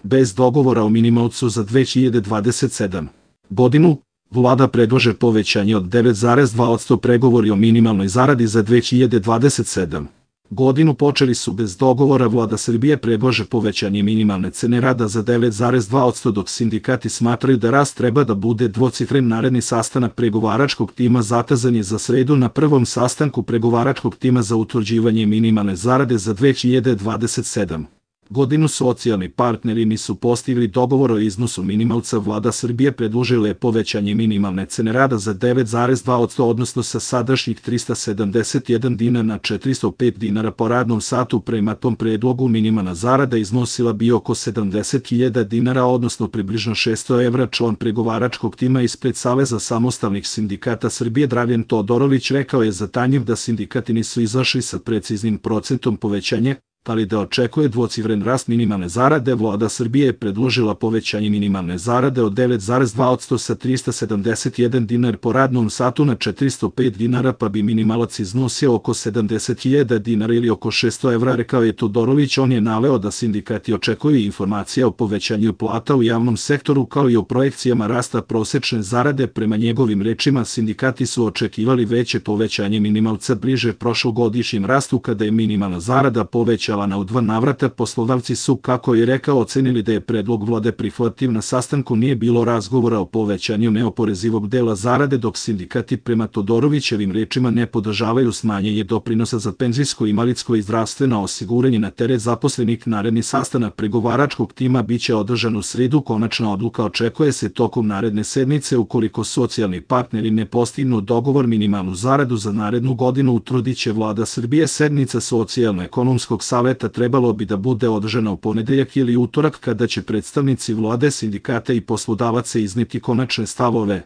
bez dogovora o minimalcu za 2027. godinu. Vlada predlaže povećanje od 9,2%. Pregovori o minimalnoj zaradi za 2027. godinu počeli su bez dogovora. Vlada Srbije predlaže povećanje minimalne cene rada za 9,2%, dok sindikati smatraju da rast treba da bude dvocifren. Naredni sastanak pregovaračkog tima zakazan je za sredu. Na prvom sastanku pregovaračkog tima za utvrđivanje minimalne zarade za 2027. godinu socijalni partneri nisu postigli dogovor o iznosu minimalca. Vlada Srbije predložila je povećanje minimalne cene rada za 9,2%, odnosno sa sadašnjih 371 dinar na 405 dinara po radnom satu. Prema tom predlogu minimalna zarada iznosila bi oko 70.000 dinara, odnosno približno 600 evra. Član pregovaračkog tima ispred Saveza samostalnih sindikata Srbije Dragan Todorović rekao je za Tanjiv da sindikati nisu izašli sa preciznim procentom povećanja, ali da očekuje dvocifren rast minimalne zarade. Vlada Srbije je predložila povećanje minimalne zarade od 9,2% sa 371 dinar po radnom satu na 405 dinara, pa bi minimalac iznosio oko 70.000 dinara ili oko 600 evra, rekao je Todorović. On je naveo da sindikati očekuju informacije o povećanju plata u javnom sektoru kao i o projekcijama rasta prosečne zarade. Prema njegovim rečima, sindikati su očekivali veće povećanje minimalca bliže prošlogodišnjem rastu kada je minimalna zarada povećana u 2 navrata. Poslodavci su, kako je rekao, ocenili da je predlog Vlade prihvatljiv. Na sastanku nije bilo razgovora o povećanju neoporezivog dela zarade, dok sindikati prema Todorovićevim rečima ne podržavaju smanjenje doprinosa za penzijsko, invalidsko i zdravstveno osiguranje na teret zaposlenih. Naredni sastanak pregovaračkog tima biće održan u sredu. Konačna odluka očekuje se tokom naredne sedmice. Ukoliko socijalni partneri ne postignu dogovor, minimalnu zaradu za narednu godinu utvrdiće Vlada Srbije. Sednica Socijalno-ekonomskog saveta trebalo bi da bude održana u ponedeljak ili utorak, kada će predstavnici Vlade, sindikata i poslodavaca izneti konačne stavove.